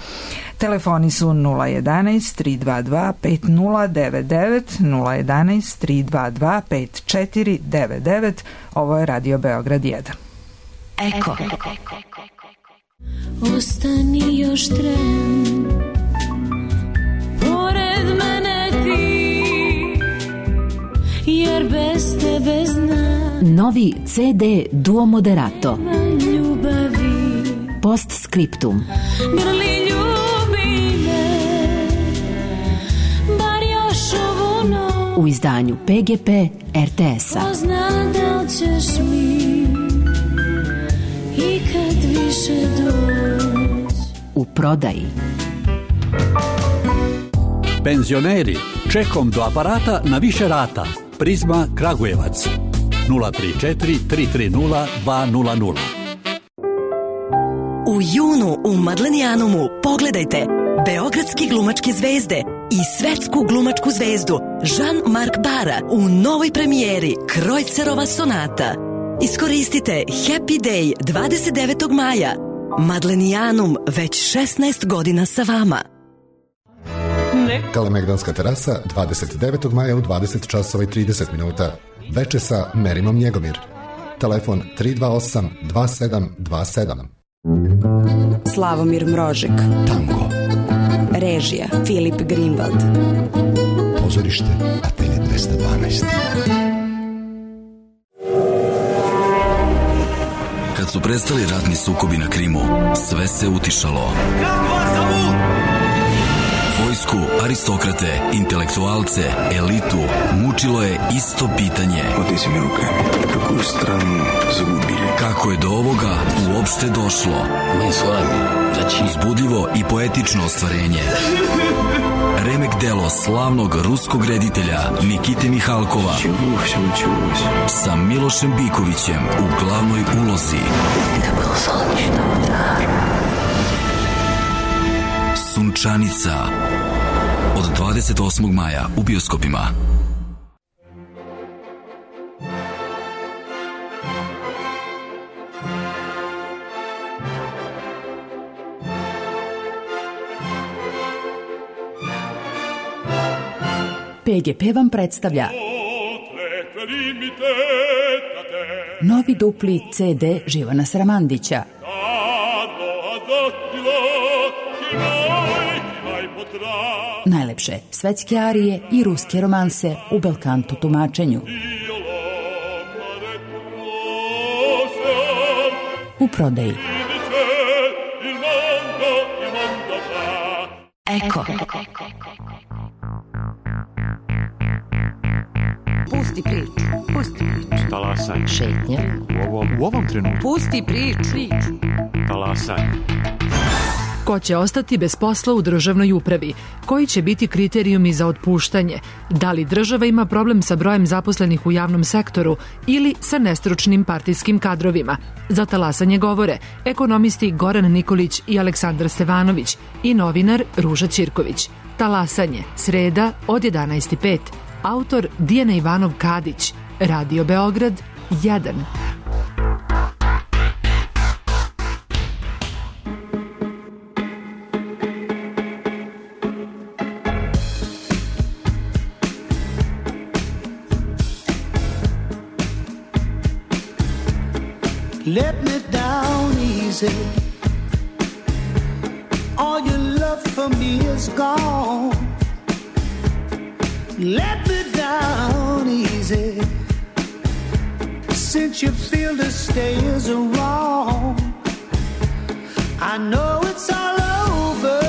telefoni su nula jedan tri dva dva pet nula devet devet, nula jedan tri dva dva pet četiri devet devet. Ovo je Radio Beograd jedan. Eko. Ostani još tren, pored mene ti, jer bez tebe znam. Novi ce de Duo Moderato. Ljubavi. Postscriptum. Grli ljubi me, bar još ovu noć. U izdanju pe ge pe er te es-a. Pozna da li ćeš mi i kad više doć. U prodaji. Penzioneri, čekom do aparata na više rata. Prizma Kragujevac. nula tri četiri tri tri nula dva nula nula. U junu u Madlenijanumu pogledajte beogradski glumačke zvezde i svetsku glumačku zvezdu Jean-Marc Bara u novoj premijeri Krojcerova sonata. Iskoristite Happy Day dvadeset devetog maja. Madlenijanum već šesnaest godina sa vama. Kalemegdanska terasa dvadeset devetog maja u dvadeset časova i trideset minuta. Veče sa Merimom Njegomir. Telefon tri dva osam dva sedam dva sedam. Slavomir Mrožek. Tango. Režija Filip Greenwald. Pozorište Atelje dvesta dvanaest. Kad su prestali ratni sukobi na Krimu, sve se utišalo. Vojsku, aristokrate, intelektualce, elitu mučilo je isto pitanje. Oteci mi ruke, kakvu stranu zagubili. Kako je do ovoga uopšte došlo? Mi s vami, znači... Uzbudljivo i poetično ostvarenje. Remek delo slavnog ruskog reditelja Nikite Mihalkova sa Milošem Bikovićem u glavnoj ulozi. Sunčanica od dvadeset osmog maja u bioskopima. pe ge pe vam predstavlja novi dupli ce de Živana Sramandića. Najlepše svetske arije i ruske romanse u belkanto tumačenju. U prodaji. Eko. Pusti priču. Pusti priču. Talas. Talasanje. Šetnja. U ovom, u ovom trenutku. Pusti priču. Talasanje. Ko će ostati bez posla u državnoj upravi? Koji će biti kriterijumi za otpuštanje? Da li država ima problem sa brojem zaposlenih u javnom sektoru ili sa nestručnim partijskim kadrovima? Za talasanje govore ekonomisti Goran Nikolić i Aleksandar Stevanović i novinar Ruža Ćirković. Talasanje, sreda od jedanaest i pet. Autor Dijana Ivanov Kadić. Radio Beograd jedan. Let me down easy. All your love for me is gone. Let me down easy. Since you feel the stay is wrong, I know it's all over,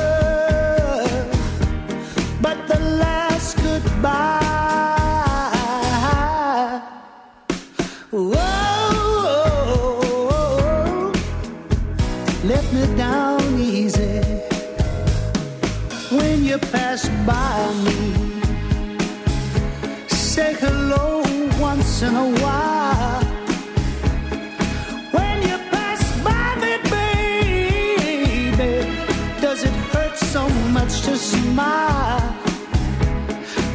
but the last goodbye. Whoa. Let me down easy. When you pass by me, say hello once in a while. When you pass by me, baby, does it hurt so much to smile?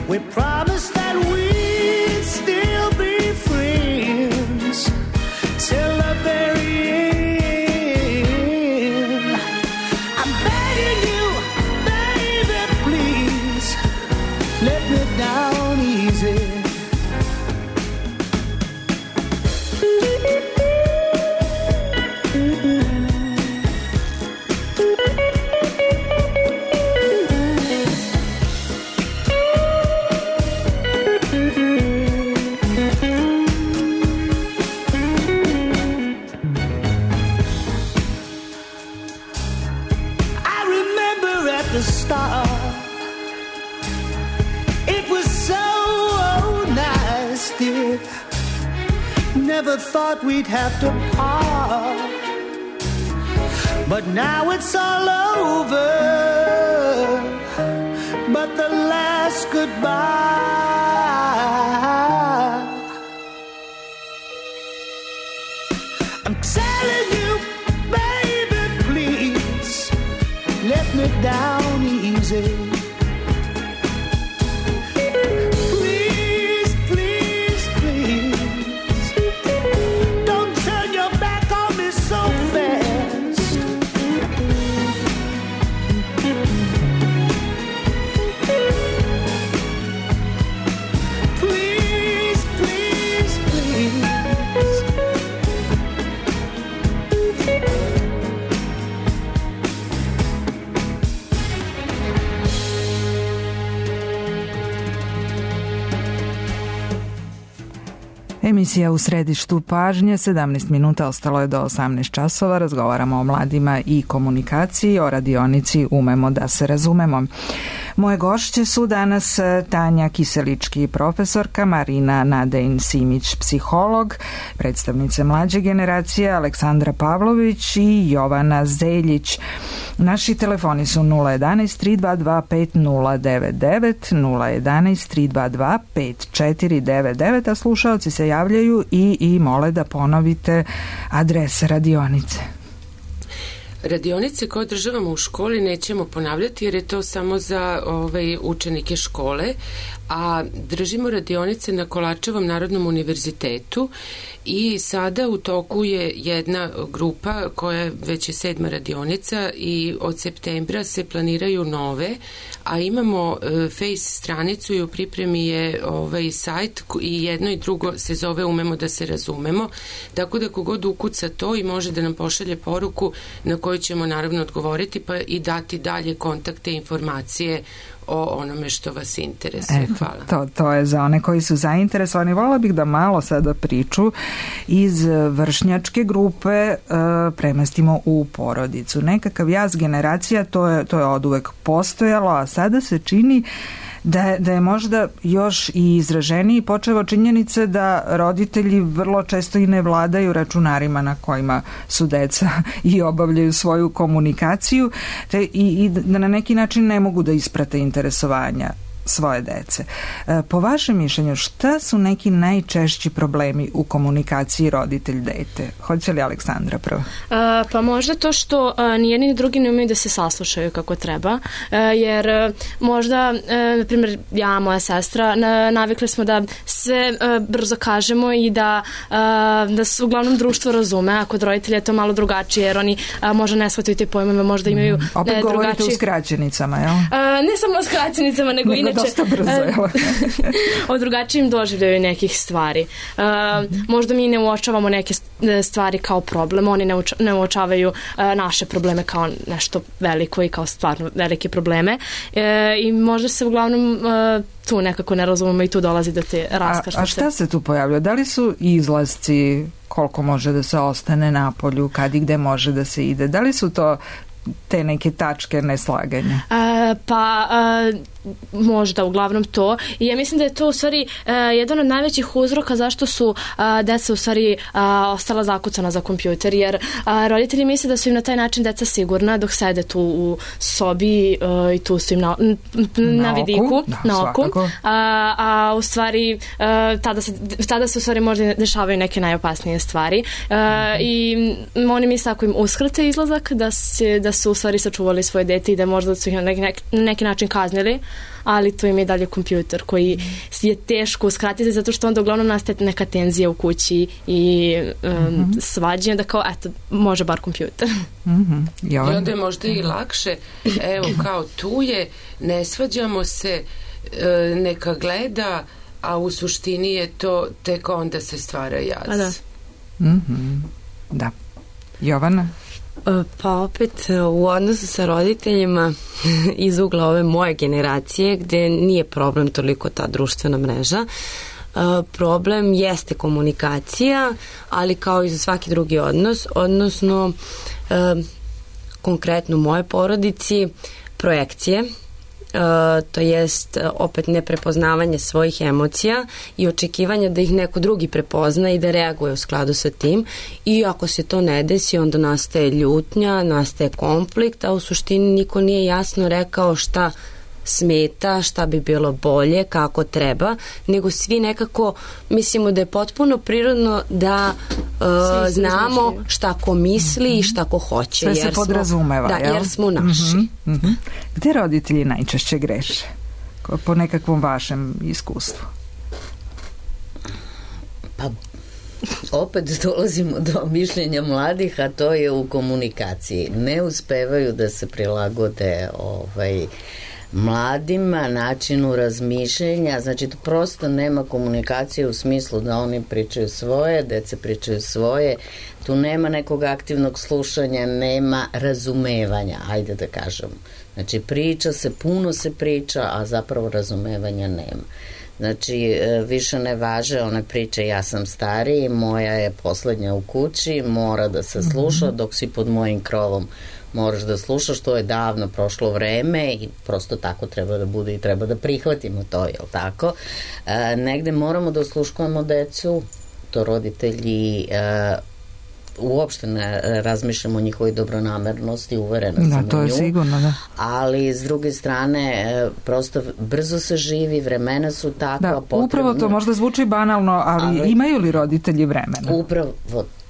We promised that we'd still be friends till the very end. Down easy. I remember at the start, never thought we'd have to part, but now it's all over, but the last goodbye. I'm telling you, baby, please let me down easy. Emisija U središtu pažnje, sedamnaest minuta, ostalo je do osamnaest časova. Razgovaramo o mladima i komunikaciji, o radionici Umemo da se razumemo. Moje gošće su danas Tanja Kiselički, profesorka, Marina Nadejn-Simić, psiholog, predstavnice mlađe generacije Aleksandra Pavlović i Jovana Zeljić. Naši telefoni su nula jedanaest tri dva dva pet nula devet devet, nula jedanaest tri dva dva pet četiri devet devet, a slušaoci se javljaju i, i mole da ponovite adrese radionice. Radionice koje održavamo u školi nećemo ponavljati jer je to samo za ovaj, učenike škole, a držimo radionice na Kolarčevom Narodnom univerzitetu i sada u toku je jedna grupa koja već je sedma radionica i od septembra se planiraju nove, a imamo e, face stranicu i u pripremi je ovaj sajt i jedno i drugo se zove Umemo da se razumemo, tako da kogod ukuca to i može da nam pošalje poruku na koju ćemo naravno odgovoriti pa i dati dalje kontakte i informacije o onome što vas interesuje. Eto, hvala. To, to je za one koji su zainteresovani. Volila bih da malo sada priču iz vršnjačke grupe e, premestimo u porodicu. Nekakav jaz generacija, to je, to je oduvek postojalo, a sada se čini da, da je možda još i izraženiji počeo od činjenice da roditelji vrlo često i ne vladaju računarima na kojima su deca i obavljaju svoju komunikaciju te i, i da na neki način ne mogu da isprate interesovanja svoje dece. Po vašem mišljenju, šta su neki najčešći problemi u komunikaciji roditelj-dete? Hoće li Aleksandra prvo? A, pa možda to što a, ni jedni ni drugi ne umiju da se saslušaju kako treba, a, jer a, možda, a, na primjer, ja, moja sestra, na, navikli smo da sve a, brzo kažemo i da, a, da se uglavnom društvo razume, a kod roditelja je to malo drugačije, jer oni a, možda ne shvataju te pojmove, možda imaju mm. Opet ne, govorite drugačije... u skraćenicama, jel? A, ne samo o skraćenicama, nego, nego inače dosta brzo, jel? o drugačijim doživljaju nekih stvari. Uh, mm-hmm. Možda mi ne uočavamo neke stvari kao problem, oni ne, uča, ne uočavaju uh, naše probleme kao nešto veliko i kao stvarno velike probleme. Uh, I možda se uglavnom uh, tu nekako ne razumemo i tu dolazi do te raskrstice. A, a šta se tu pojavlja? Da li su izlasci, koliko može da se ostane na polju, kad i gde može da se ide? Da li su to te neke tačke neslaganja? Uh, pa uh, možda uglavnom to. I ja mislim da je to u stvari uh, jedan od najvećih uzroka zašto su uh, deca u stvari uh, ostala zakucana za kompjuter, jer uh, roditelji misle da su im na taj način deca sigurna dok sede tu u sobi uh, i tu su im na, na, na vidiku, da, na oku. Uh, a u stvari uh, tada, se, tada se u stvari možda dešavaju neke najopasnije stvari. Uh, mm-hmm. I oni misle ako im uskrate izlazak da, se, da su u stvari sačuvali svoje dete i da možda su ih na neki, na neki način kaznili, ali to im je dalje kompjuter koji je teško uskratiti zato što onda uglavnom nastaje neka tenzija u kući i um, mm-hmm. svađanje da kao eto, može bar kompjuter. Mm-hmm. I onda je možda i lakše, evo kao tu je, ne svađamo se, e, neka gleda, a u suštini je to tek onda se stvara jaz. A da. Mm-hmm. Da. Jovana? Pa opet u odnosu sa roditeljima iz ugla ove moje generacije gde nije problem toliko ta društvena mreža, problem jeste komunikacija, ali kao i za svaki drugi odnos, odnosno konkretno u moje porodici projekcije, Uh, to jest opet neprepoznavanje svojih emocija i očekivanja da ih neko drugi prepozna i da reaguje u skladu sa tim, i ako se to ne desi onda nastaje ljutnja, nastaje konflikt, a u suštini niko nije jasno rekao šta smeta, šta bi bilo bolje, kako treba, nego svi nekako mislimo da je potpuno prirodno da uh, znamo šta ko misli mm-hmm. i šta ko hoće. Sve se podrazumeva, da, jel? Jer smo naši. Mm-hmm. Mm-hmm. Gde roditelji najčešće greše? Po nekakvom vašem iskustvu? Pa opet dolazimo do mišljenja mladih, a to je u komunikaciji. Ne uspevaju da se prilagode ovaj mladima, načinu razmišljenja, znači to prosto nema komunikacije u smislu da oni pričaju svoje, dece pričaju svoje, tu nema nekog aktivnog slušanja, nema razumevanja, ajde da kažemo. Znači priča se, puno se priča, a zapravo razumevanja nema. Znači, više ne važe one priče ja sam stariji, moja je poslednja u kući, mora da se sluša, dok si pod mojim krovom moraš da slušaš, to je davno prošlo vreme i prosto tako treba da bude i treba da prihvatimo to, jel tako? E, negde moramo da osluškujemo decu, to roditelji e, uopšte ne razmišljamo o njihovoj dobronamernosti, uverena sam u nju. Da, to je sigurno, da. Ali s druge strane, prosto brzo se živi, vremena su takva. Da, potrebno. Upravo to možda zvuči banalno, ali, ali imaju li roditelji vremena? Upravo,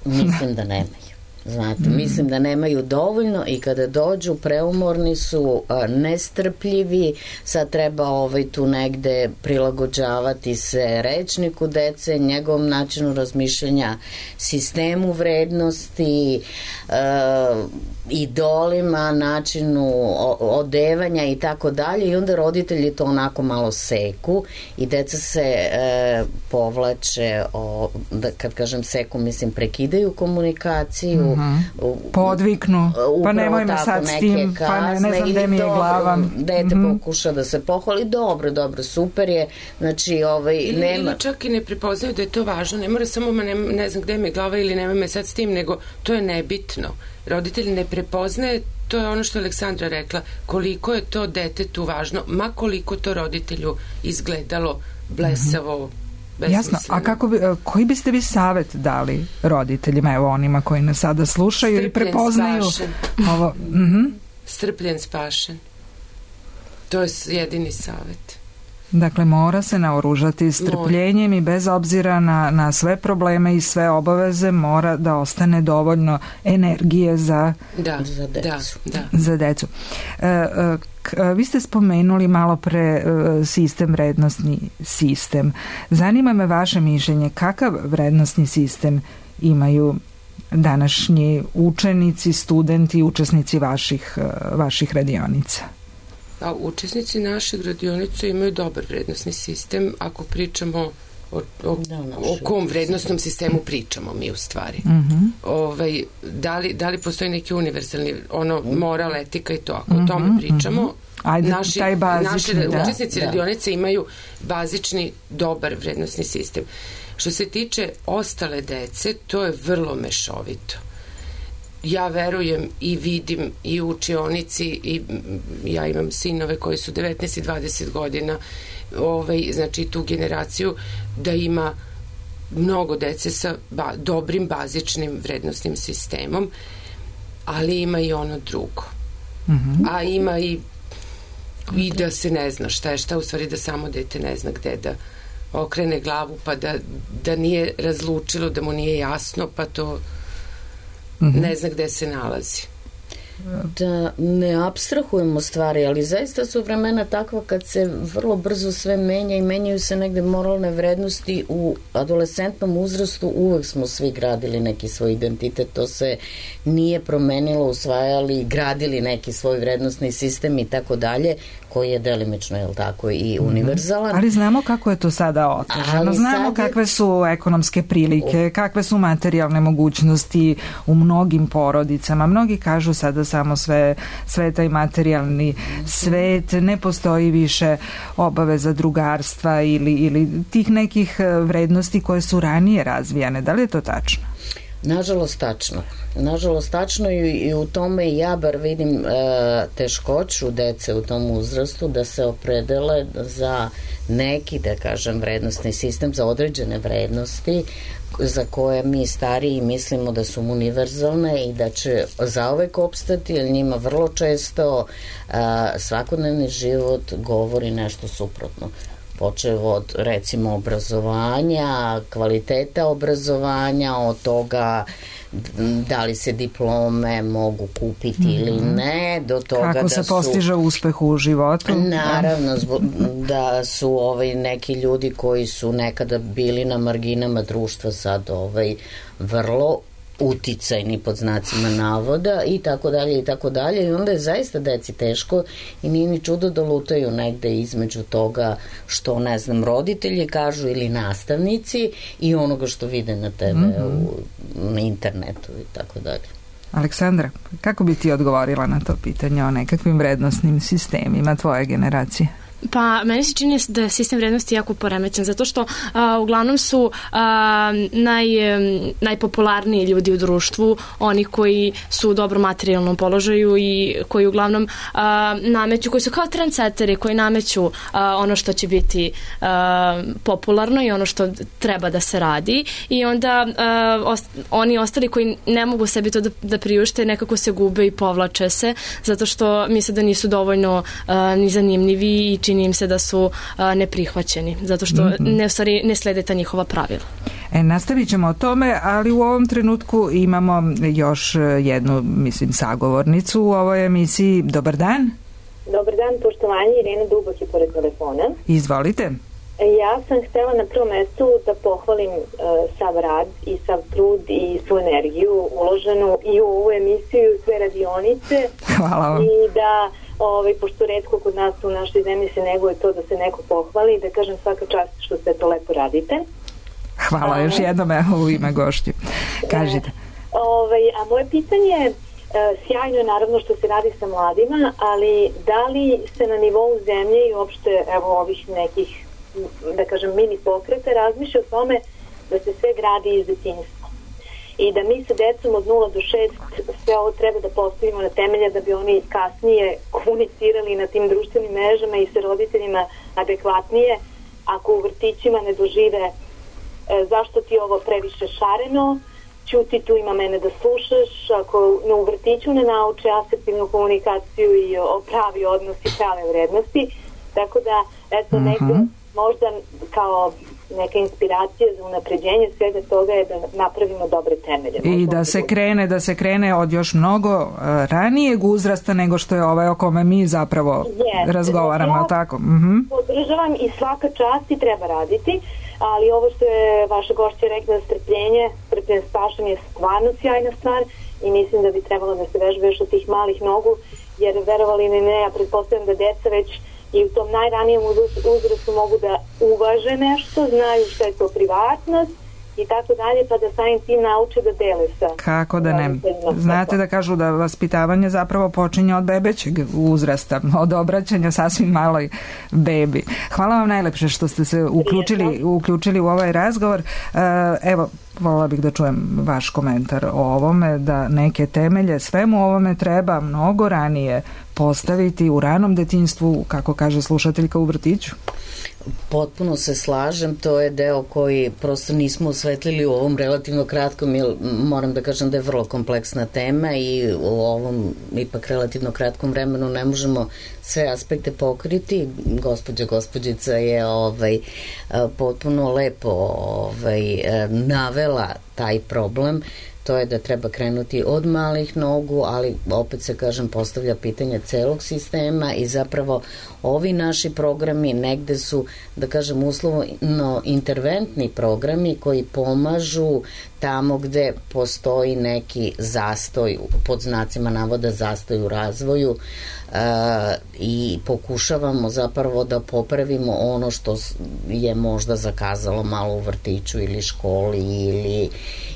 mislim da nemaju. Znate, mm. mislim da nemaju dovoljno i kada dođu preumorni su, a, nestrpljivi, sad treba ovaj tu negde prilagođavati se rečniku dece, njegovom načinu razmišljanja, sistemu vrednosti, a, idolima, načinu odevanja i tako dalje, i onda roditelji to onako malo seku i deca se e, povlače, o, da, kad kažem seku, mislim prekidaju komunikaciju, mm-hmm. podviknu, pa nemoj me sad s tim, pa ne, ne znam gde mi je glava. Dete mm-hmm. pokuša da se pohvali, dobro, dobro, super je, znači ovaj, ili, nema... Ili čak i ne prepoznaju da je to važno, ne mora samo ne, ne znam gde mi je glava ili nema me sad s tim, nego to je nebitno. Roditelj ne prepoznaje to je ono što je Aleksandra rekla, koliko je to detetu važno, ma koliko to roditelju izgledalo blesavo, mm-hmm. Jasno, a kako bi, koji biste vi savet dali roditeljima, evo onima koji nas sada slušaju strpljen, i prepoznaju spašen. Ovo? Mm-hmm. Strpljen, spašen. To je jedini savet. Dakle, mora se naoružati strpljenjem mora. I bez obzira na, na sve probleme i sve obaveze mora da ostane dovoljno energije za, da, za decu. Da, da. Za decu. E, e, k, vi ste spomenuli malo pre e, sistem, vrednostni sistem. Zanima me vaše mišljenje, kakav vrednostni sistem imaju današnji učenici, studenti, učesnici vaših, vaših radionica? A učesnici našeg radionice imaju dobar vrednostni sistem ako pričamo o, o, o kom vrednostnom sistemu pričamo mi u stvari. Mm-hmm. Ovaj, da, li, da li postoji neki univerzalni ono moral, etika i to, ako mm-hmm, o tome pričamo mm-hmm. Ajde, naši, taj bazični, naši da, učesnici da. radionice imaju bazični dobar vrednostni sistem. Što se tiče ostale dece, to je vrlo mešovito. Ja verujem i vidim i u učionici i ja imam sinove koji su devetnaest i dvadeset godina, ovaj, znači tu generaciju, da ima mnogo dece sa ba, dobrim bazičnim vrednostnim sistemom, ali ima i ono drugo. Mm-hmm. A ima i i da se ne zna šta je šta, u stvari da samo dete ne zna gde da okrene glavu, pa da, da nije razlučilo, da mu nije jasno, pa to ne zna gde se nalazi. Da ne apstrahujemo stvari, ali zaista su vremena takva kad se vrlo brzo sve menja i menjaju se negde moralne vrednosti. U adolescentnom uzrastu uvek smo svi gradili neki svoj identitet, to se nije promenilo, usvajali, gradili neki svoj vrednostni sistem i tako dalje, koji je delimično, je li tako, i univerzalan. Ali znamo kako je to sada otežano, znamo je... kakve su ekonomske prilike, kakve su materijalne mogućnosti u mnogim porodicama. Mnogi kažu sada samo sve, sve taj materijalni svet, ne postoji više obaveza drugarstva ili, ili tih nekih vrednosti koje su ranije razvijane. Da li je to tačno? Nažalost tačno. Nažalost tačno i, i u tome ja bar vidim e, teškoću dece u tom uzrastu da se opredele za neki, da kažem, vrednostni sistem, za određene vrednosti za koje mi stariji mislimo da su univerzalne i da će zauvek opstati, jer njima vrlo često a, svakodnevni život govori nešto suprotno. Počev od, recimo, obrazovanja, kvaliteta obrazovanja, od toga da li se diplome mogu kupiti mm-hmm. ili ne, do toga kako da se su, postiže uspeh u životu. Naravno, zbog, da su ovaj, neki ljudi koji su nekada bili na marginama društva sad ovaj, vrlo uticajni pod znacima navoda i tako dalje i tako dalje, i onda je zaista deci teško i nije ni čudo da lutaju negde između toga što, ne znam, roditelji kažu ili nastavnici i onoga što vide na te ve u, mm-hmm. na internetu i tako dalje. Aleksandra, kako bi ti odgovorila na to pitanje o nekakvim vrednostnim sistemima tvoje generacije? Pa, meni se čini da je sistem vrednosti jako poremećen, zato što a, uglavnom su a, naj, najpopularniji ljudi u društvu, oni koji su u dobrom materijalnom položaju i koji uglavnom a, nameću, koji su kao trendsetteri, koji nameću a, ono što će biti a, popularno i ono što treba da se radi, i onda a, ost, oni ostali koji ne mogu sebi to da, da priušte, nekako se gube i povlače se, zato što misle da nisu dovoljno a, ni zanimljivi i čini im se da su a, neprihvaćeni, zato što mm-hmm. ne, stvari, ne slede ta njihova pravila. E, nastavit ćemo o tome, ali u ovom trenutku imamo još jednu, mislim, sagovornicu u ovoj emisiji. Dobar dan. Dobar dan, poštovanje, Irena Dubak je pored telefona. Izvolite. Ja sam htela na prvom mestu da pohvalim uh, sav rad i sav trud i svu energiju uloženu i u ovu emisiju i sve radionice. Hvala vam. I da Ovaj, pošto retko kod nas u našoj zemlji se neguje to da se neko pohvali, da kažem svaka čast što sve to lepo radite. Hvala, još jednom evo u ime gošću. Kažite. Ovaj, a moje pitanje je, sjajno je naravno što se radi sa mladima, ali da li se na nivou zemlje i uopšte evo ovih nekih, da kažem, mini pokreta razmišlja o tome da se sve gradi iz detinjstva? i da mi sa decom od nula do šest sve ovo treba da postavimo na temelje da bi oni kasnije komunicirali na tim društvenim mrežama i sa roditeljima adekvatnije. Ako u vrtićima ne dožive e, zašto ti ovo previše šareno, ćuti, tu ima mene da slušaš, ako no, u vrtiću ne nauče asertivnu komunikaciju i o pravi odnos i prave vrednosti, tako da eto mm-hmm. negde možda kao neka inspiracija za unapređenje svega toga je da napravimo dobre temelje. I da se krene, da se krene od još mnogo uh, ranijeg uzrasta nego što je ovaj o kome mi zapravo yes, razgovaramo, ja tako? Mm-hmm. Podržavam i svaka čast i treba raditi, ali ovo što je vaša gošća rekla, strpljenje, strpljenje s pašom je stvarno sjajna stvar i mislim da bi trebalo da se vežba još od tih malih nogu, jer verovali ili ne, ja pretpostavljam da deca već i u tom najranijem uzrastu mogu da uvaže nešto, znaju što je to privatnost i tako dalje, pa da samim tim nauče da dele sa... Kako da ne? Znate da kažu da vaspitavanje zapravo počinje od bebećeg uzrasta, od obraćanja sasvim maloj bebi. Hvala vam najlepše što ste se uključili, uključili u ovaj razgovor. Evo, volila bih da čujem vaš komentar o ovome, da neke temelje svemu ovome treba mnogo ranije postaviti u ranom detinjstvu, kako kaže slušateljka, u vrtiću. Potpuno se slažem, to je deo koji prosto nismo osvetlili u ovom relativno kratkom, jer moram da kažem da je vrlo kompleksna tema i u ovom ipak relativno kratkom vremenu ne možemo sve aspekte pokriti. Gospođa gospođica je ovaj, potpuno lepo ovaj, navela taj problem. To je da treba krenuti od malih nogu, ali opet se kažem postavlja pitanje celog sistema i zapravo ovi naši programi negde su, da kažem, uslovno interventni programi koji pomažu tamo gde postoji neki zastoj, pod znacima navoda zastoj u razvoju, e, i pokušavamo zapravo da popravimo ono što je možda zakazalo malo u vrtiću ili školi ili,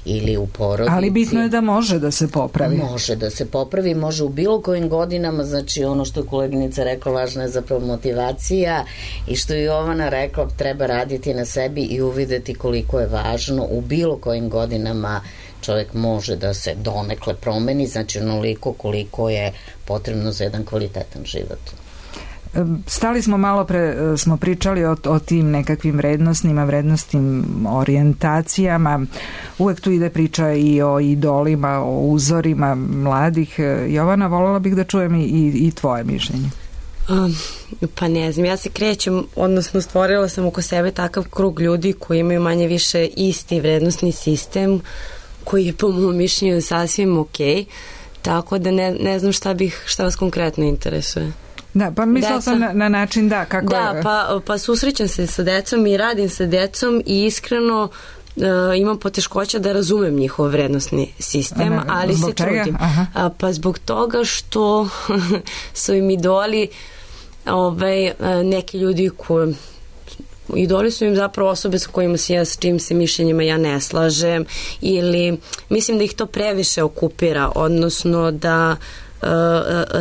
ili u porodici. Ali bitno je da može da se popravi. Može da se popravi, može u bilo kojim godinama, znači ono što je koleginica rekla, važna je zapravo motivacija i što je Jovana rekla, treba raditi na sebi i uvideti koliko je važno u bilo kojim godinama čovjek može da se donekle promeni, znači onoliko koliko je potrebno za jedan kvalitetan život. Stali smo malo pre, smo pričali o, o tim nekakvim vrednostnima, vrednostnim orijentacijama. Uvek tu ide priča i o idolima, o uzorima mladih. Jovana, voljela bih da čujem i, i tvoje mišljenje. Um, pa ne znam, ja se krećem, odnosno stvorila sam oko sebe takav krug ljudi koji imaju manje više isti vrednostni sistem, koji je po mom mišljenju sasvim ok, tako da ne, ne znam šta bih, šta vas konkretno interesuje. Da, pa mislila sam na, na način da, kako da, je... pa, pa susrećam se sa decom i radim sa decom i iskreno uh, imam poteškoća da razumem njihov vrednostni sistem, ne, ali se čega? trudim. A, pa zbog toga što su im idoli ovaj, neki ljudi koji idoli su im zapravo osobe sa kojima se ja, s čim se mišljenjima ja ne slažem, ili mislim da ih to previše okupira, odnosno da uh,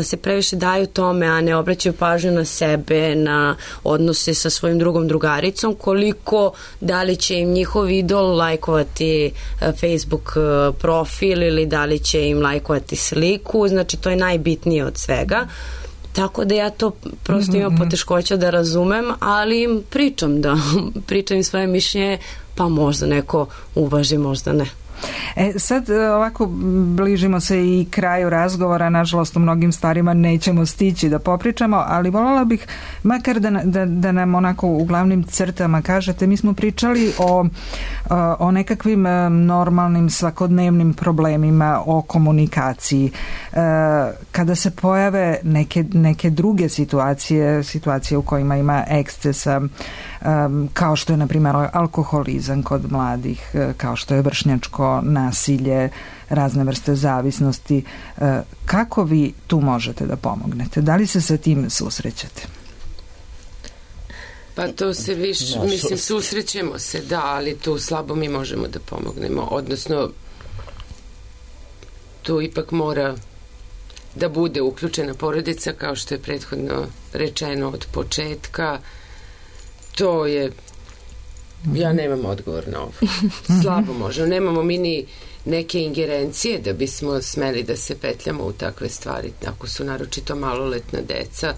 se previše daju tome, a ne obraćaju pažnju na sebe, na odnose sa svojim drugom drugaricom, koliko da li će im njihov idol lajkovati Facebook profil ili da li će im lajkovati sliku, znači to je najbitnije od svega. Tako da ja to prosto imam poteškoća da razumem, ali im pričam da pričam im svoje mišljenje, pa možda neko uvaži, možda ne. E, sad ovako bližimo se i kraju razgovora, nažalost u mnogim stvarima nećemo stići da popričamo, ali voljela bih makar da, da, da nam onako u glavnim crtama kažete, mi smo pričali o, o nekakvim normalnim svakodnevnim problemima, o komunikaciji. Kada se pojave neke, neke druge situacije, situacije u kojima ima ekscesa, kao što je na primjer alkoholizam kod mladih, kao što je vršnjačko nasilje, razne vrste zavisnosti, kako vi tu možete da pomognete? Da li se sa tim susrećete? Pa to se više, mislim, susrećemo se, da, ali tu slabo mi možemo da pomognemo, odnosno tu ipak mora da bude uključena porodica, kao što je prethodno rečeno od početka. To je Ja nemam odgovor na ovo. Slabo možemo. Nemamo mi ni neke ingerencije da bismo smeli da se petljamo u takve stvari. Ako su naročito maloletna deca,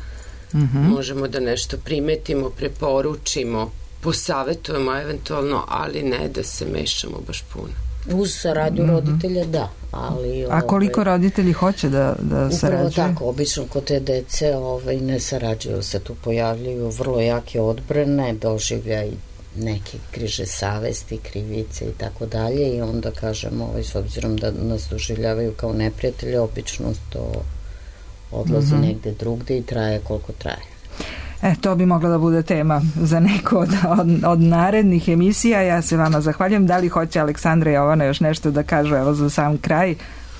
mm-hmm. možemo da nešto primetimo, preporučimo, posavetujemo eventualno, ali ne da se mešamo baš puno. Uz saradnju mm-hmm. roditelja, da. Ali, a koliko ovaj, roditelji hoće da, da sarađuju? Upravo tako, obično kod te dece ovaj, ne sarađuju se, tu pojavljuju vrlo jake odbrane, doživljaj neke križe savesti, krivice i tako dalje i onda kažemo, ovaj, s obzirom da nas doživljavaju kao neprijatelje, obično to odlazi mm-hmm. negde drugde i traje koliko traje. E, to bi mogla da bude tema za neko od, od, od narednih emisija. Ja se vama zahvaljujem. Da li hoće Aleksandra i Jovana još nešto da kažu, evo za sam kraj?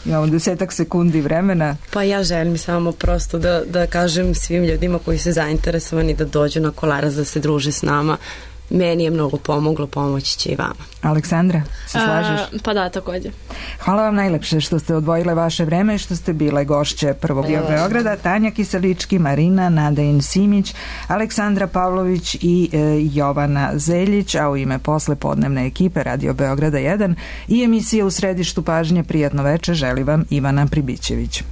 Imamo desetak sekundi vremena. Pa ja želim samo prosto da, da kažem svim ljudima koji su zainteresovani da dođu na Kolaras da se druže s nama. Meni je mnogo pomoglo, pomoći će i vama. Aleksandra, se slažeš? A, pa da, takođe. Hvala vam najlepše što ste odvojile vaše vreme i što ste bile gošće Prvog dio Beograda. Tanja Kiselički, Marina Nadejin Simić, Aleksandra Pavlović i e, Jovana Zeljić, a u ime posle podnevne ekipe Radio Beograda jedan i emisije U središtu pažnje Prijatno veče želi vam Ivana Pribićević.